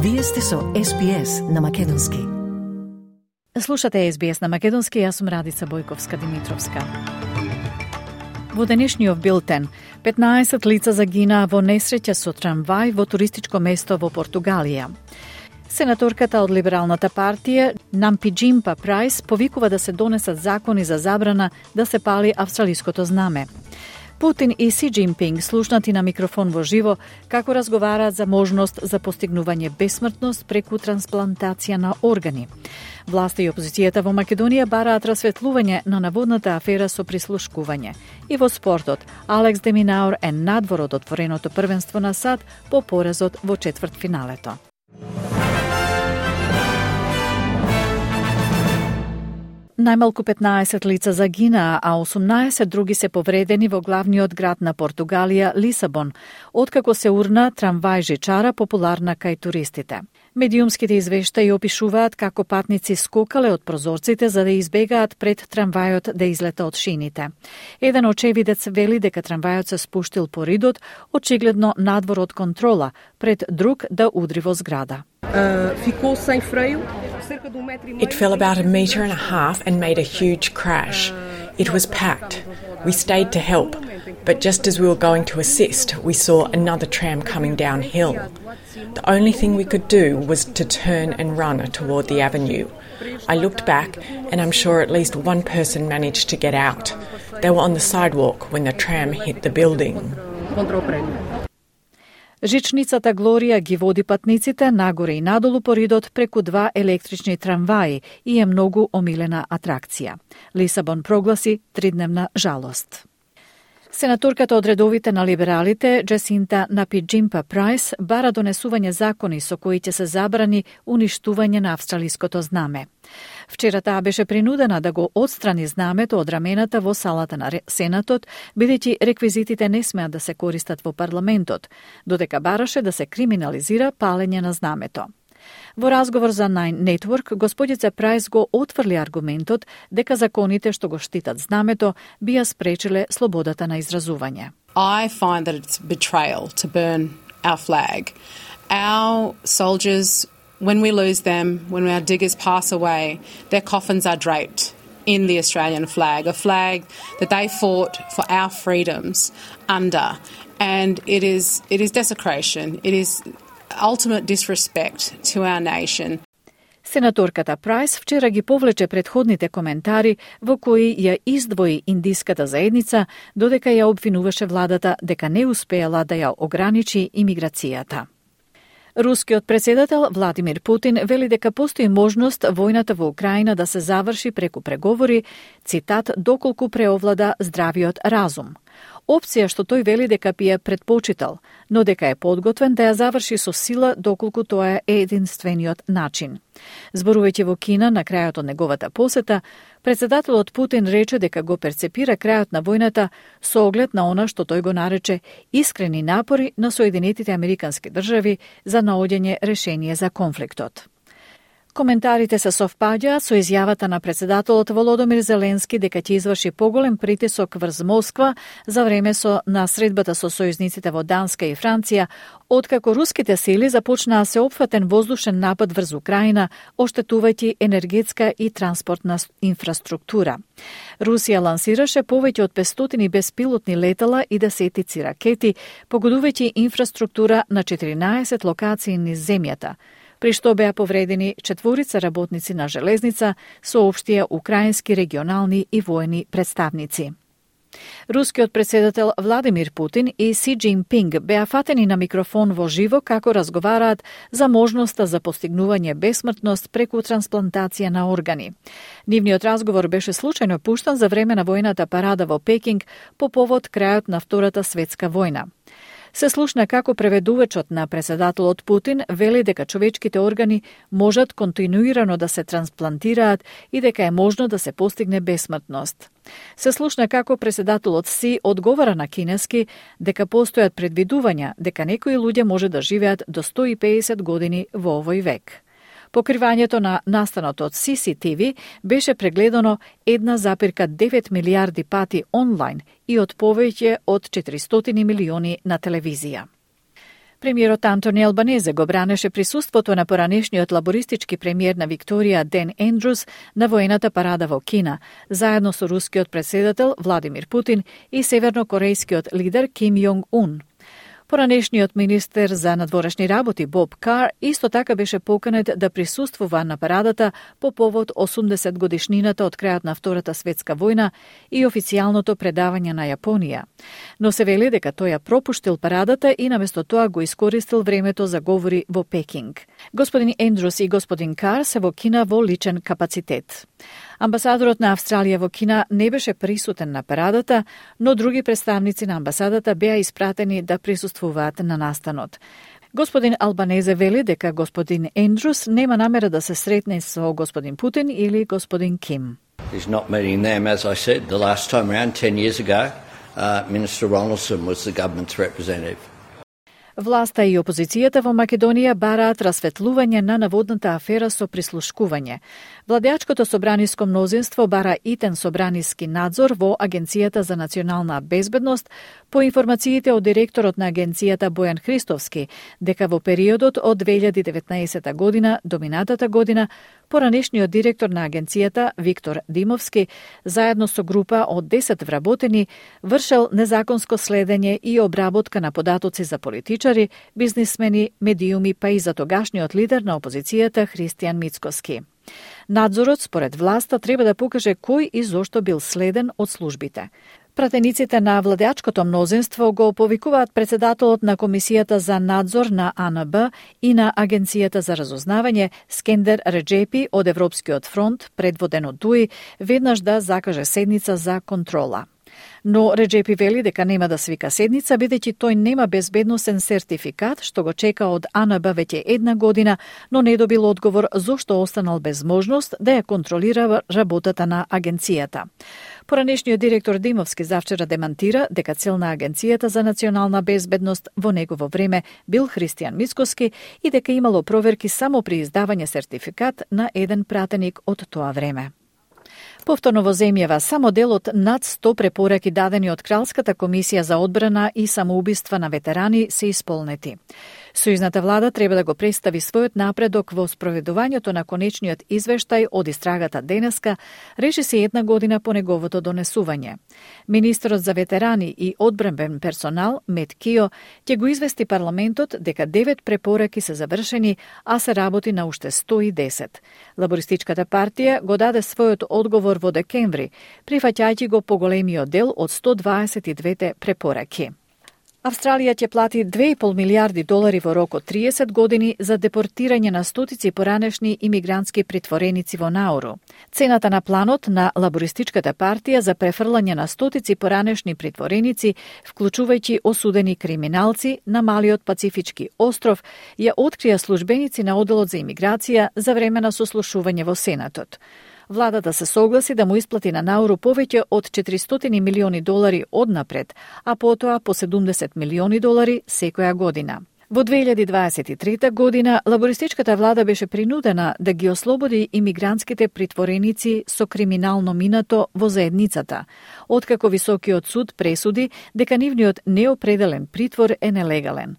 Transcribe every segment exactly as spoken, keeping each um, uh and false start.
Вие сте со Ес Би Ес на македонски. Слушате Ес Би Ес на македонски, јас сум Радица Бојковска-Димитровска. Во денешниот билтен, петнаесет лица загинаа во несреќа со трамвај во туристичко место во Португалија. Сенаторката од Либералната партија, Нампиџимпа Прајс, повикува да се донесат закони за забрана да се пали австралиското знаме. Путин и Си Џинпинг слушнати на микрофон во живо како разговараат за можност за постигнување бесмртност преку трансплантација на органи. Власта и опозицијата во Македонија бараат расветлување на наводната афера со прислушкување. И во спортот, Алекс де Минаур е надвор од отвореното првенство на САД по поразот во четвртфиналето. Најмалку петнаесет лица загинаа, а осумнаесет други се повредени во главниот град на Португалија, Лисабон, откако се урна трамвај жичара популарна кај туристите. Медиумските извештаи опишуваат како патници скокале од прозорците за да избегаат пред трамвајот да излета од шините. Еден очевидец вели дека трамвајот се спуштил по ридот, очигледно надвор од контрола, пред друг да удри во зграда. It fell about a metre and a half and made a huge crash. It was packed. We stayed to help, but just as we were going to assist, we saw another tram coming downhill. The only thing we could do was to turn and run toward the avenue. I looked back and I'm sure at least one person managed to get out. They were on the sidewalk when the tram hit the building. Жичницата Глорија ги води патниците нагоре и надолу по ридот преку два електрични трамваи и е многу омилена атракција. Лисабон прогласи тридневна жалост. Сенаторката од редовите на либералите, Джесинта Нампиџимпа Прајс, бара донесување закони со кои ќе се забрани уништување на австралиското знаме. Вчера таа беше принудена да го отстрани знамето од рамената во салата на Сенатот, бидејќи реквизитите не смеат да се користат во парламентот, додека бараше да се криминализира палење на знамето. Во разговор за Nine Network, господица Прајс го отврли аргументот дека законите што го штитат знамето бија спречиле слободата на изразување. I find that it's betrayal to burn our flag. Our soldiers, when we lose them, when our diggers pass away, their coffins are draped in the Australian flag, a flag that they fought for our freedoms under. And it is it is desecration. It is ultimate disrespect to our nation. Сенаторката Прајс вчера ги повлече предходните коментари во кои ја издвои индиската заедница, додека ја обвинуваше владата дека не успеала да ја ограничи имиграцијата. Рускиот председател Владимир Путин вели дека постои можност војната во Украина да се заврши преку преговори, цитат, доколку преовлада здравиот разум. Опција што тој вели дека би ја предпочитал, но дека е подготвен да ја заврши со сила доколку тоа е единствениот начин. Зборувајќи во Кина на крајот од неговата посета, председателот Путин рече дека го перцепира крајот на војната со оглед на она што тој го нарече искрени напори на Соединетите Американски држави за наоѓање решение за конфликтот. Коментарите се совпаѓаат со изјавата на председателот Володомир Зеленски дека ќе изврши поголем притисок врз Москва за време со на средбата со сојузниците во Данска и Франција, откако руските сили започнаа се опфатен воздушен напад врз Украина, оштетувајќи енергетска и транспортна инфраструктура. Русија лансираше повеќе од петстотини беспилотни летала и десетици ракети, погодувајќи инфраструктура на четиринаесет локации низ земјата, при што беа повредени четворица работници на железница, соопштија украински регионални и воени представници. Рускиот председател Владимир Путин и Си Џинпинг беа фатени на микрофон во живо како разговараат за можноста за постигнување бесмртност преку трансплантација на органи. Нивниот разговор беше случајно пуштан за време на војната парада во Пекинг по повод крајот на Втората светска војна. Се слушна како преведувачот на председателот Путин вели дека човечките органи можат континуирано да се трансплантираат и дека е можно да се постигне бесмртност. Се слушна како председателот Си одговара на кинески дека постојат предвидувања дека некои луѓе може да живеат до сто и педесет години во овој век. Покривањето на настанот од Си Си Ти Ви беше прегледано една запирка девет милијарди пати онлайн и од повеќе од четиристотини милиони на телевизија. Премиерот Антони Албанезе го бранеше присуството на поранешниот лабористички премиер на Викторија Ден Ендрус на воената парада во Кина, заедно со рускиот претседател Владимир Путин и севернокорејскиот лидер Ким Јонг Ун. Поранешниот министер за надворешни работи Боб Кар исто така беше поканет да присуствува на парадата по повод осумдесет годишнината од крајот на Втората светска војна и официјалното предавање на Јапонија. Но се вели дека тој ја пропуштил парадата и наместо тоа го искористил времето за говори во Пекинг. Господин Ендрус и господин Кар се во Кина во личен капацитет. Амбасадорот на Австралија во Кина не беше присутен на парадата, но други представници на амбасадата беа испратени да присуствуваат на настанот. Господин Албанезе вели дека господин Ендрус нема намера да се сретне со господин Путин или господин Ким. He's not meeting them, as I said, the last time around, ten years ago, uh, Minister Ronaldson was the government's representative. Власта и опозицијата во Македонија бараат расветлување на наводната афера со прислушкување. Владеачкото собраниско мнозинство бара итен собраниски надзор во Агенцијата за национална безбедност по информациите од директорот на агенцијата Бојан Христовски, дека во периодот од две илјади и деветнаесета година до минатата година поранешниот директор на агенцијата Виктор Димовски заедно со група од десет вработени вршел незаконско следење и обработка на податоци за политичари, бизнисмени, медиуми, па и за тогашниот лидер на опозицијата Христијан Мицкоски. Надзорот според власта треба да покаже кој и зошто бил следен од службите. Пратениците на владеачкото мнозинство го повикуваат председателот на Комисијата за надзор на А Н Б и на Агенцијата за разузнавање Скендер Реджепи од Европскиот фронт, предводен од Дуи, веднаш да закаже седница за контрола. Но Реджепи вели дека нема да свика седница, бидејќи тој нема безбедносен сертификат, што го чека од А Н Б веќе една година, но не добил одговор зошто останал без можност да ја контролира работата на агенцијата. Поранешниот директор Димовски завчера демантира дека цел на Агенцијата за национална безбедност во негово време бил Христијан Мицкоски и дека имало проверки само при издавање сертификат на еден пратеник од тоа време. Повторно во земјава, само дел од над сто препораки дадени од Кралската комисија за одбрана и самоубиства на ветерани се исполнети. Сојузната влада треба да го представи својот напредок во спроведувањето на конечниот извештај од истрагата денеска, реши се една година по неговото донесување. Министерот за ветерани и одбранбен персонал, Мет Кио, ќе го извести парламентот дека девет препораки се завршени, а се работи на уште сто и десет. Лабористичката партија го даде својот одговор во декември, прифаќајќи го поголемиот дел од сто дваесет и две препораки. Австралија ќе плати две и пол милијарди долари во рок од триесет години за депортирање на стотици поранешни имигрантски притвореници во Науру. Цената на планот на Лабористичката партија за префрлање на стотици поранешни притвореници, вклучувајќи осудени криминалци на малиот Пацифички остров, ја открија службеници на Оделот за имиграција за време на сослушување во Сенатот. Владата се согласи да му исплати на Науру повеќе од четиристотини милиони долари однапред, а потоа по седумдесет милиони долари секоја година. Во две илјади дваесет и трета година, лабористичката влада беше принудена да ги ослободи имигрантските притвореници со криминално минато во заедницата, откако Високиот суд пресуди дека нивниот неопределен притвор е нелегален.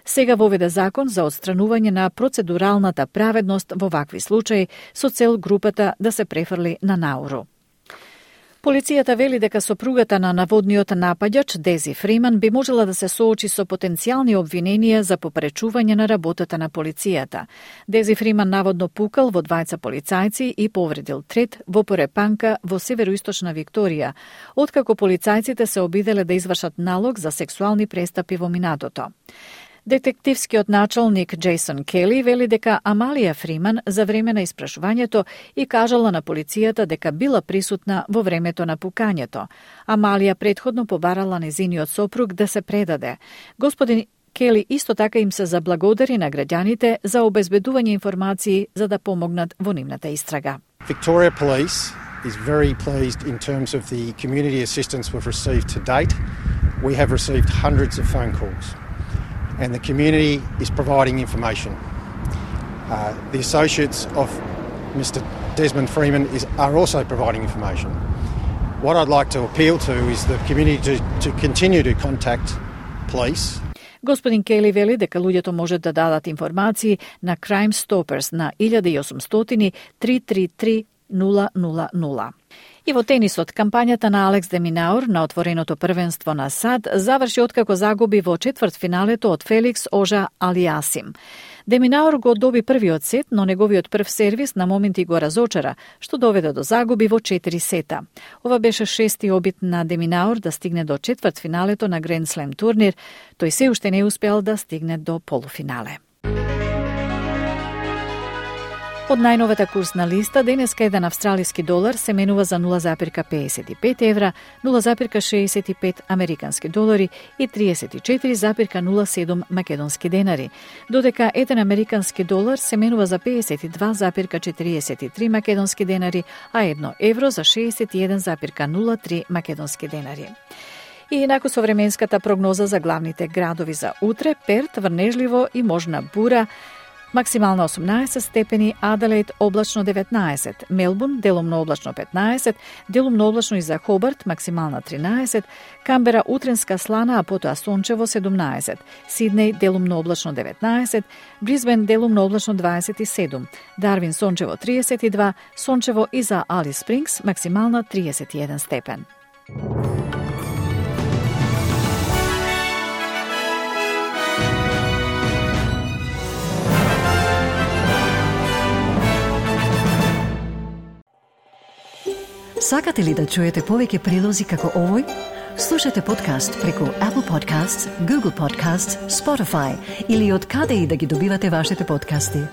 Сега воведе закон за отстранување на процедуралната праведност во вакви случаи со цел групата да се префрли на Науру. Полицијата вели дека сопругата на наводниот напаѓач Дези Фриман би можела да се соочи со потенцијални обвиненија за попречување на работата на полицијата. Дези Фриман наводно пукал во двајца полицајци и повредил трет во Порепанка во североисточна Викторија, откако полицајците се обиделе да извршат налог за сексуални престапи во минатото. Детективскиот началник Джейсон Кели вели дека Амалија Фриман за време на испрашувањето и кажала на полицијата дека била присутна во времето на пукањето. Амалија претходно побарала незиниот сопруг да се предаде. Господин Кели исто така им се заблагодари на граѓаните за обезбедување информации за да помогнат во нивната истрага. Victoria Police is very pleased in terms of the community assistance we've received to date. We have received hundreds of phone calls. And the community is providing information. Uh, the associates of Mister Desmond Freeman is, are also providing information. What I'd like to appeal to is the community to, to continue to contact police. Господин Кели вели дека луѓето можат да дадат информации на Crime Stoppers на еден осумстотини три три три нула нула нула. И во тенисот, кампањата на Алекс де Минаур на отвореното првенство на САД заврши откако загуби во четвртфиналето од Феликс Ожа Алиасим. Де Минаур го доби првиот сет, но неговиот прв сервис на моменти го разочара, што доведе до загуби во четири сета. Ова беше шести обид на Де Минаур да стигне до четвртфиналето на Гранд Слем турнир. Тој се уште не успеал да стигне до полуфинале. Од најновата курсна листа, денеска еден австралиски долар се менува за нула запирка педесет и пет евра, нула запирка шеесет и пет американски долари и триесет и четири запирка нула седум македонски денари, додека еден американски долар се менува за педесет и два запирка четириесет и три македонски денари, а едно евро за шеесет и еден запирка нула три македонски денари. И инаку со временската прогноза за главните градови за утре, Перт врнежливо и можна бура, максимално осумнаесет степени, Аделаид облачно деветнаесет, Мелбурн делумно облачно петнаесет, делумно облачно и за Хобарт максимална тринаесет, Камбера утренска слана, а потоа сончево седумнаесет, Сиднеј делумно облачно деветнаесет, Брисбен делумно облачно дваесет и седум, Дарвин сончево триесет и два, сончево и за Алис Спрингс максимална триесет и еден степен. Сакате ли да чуете повеќе прилози како овој? Слушате подкаст преку Apple Podcasts, Google Podcasts, Spotify или од каде и да ги добивате вашите подкасти.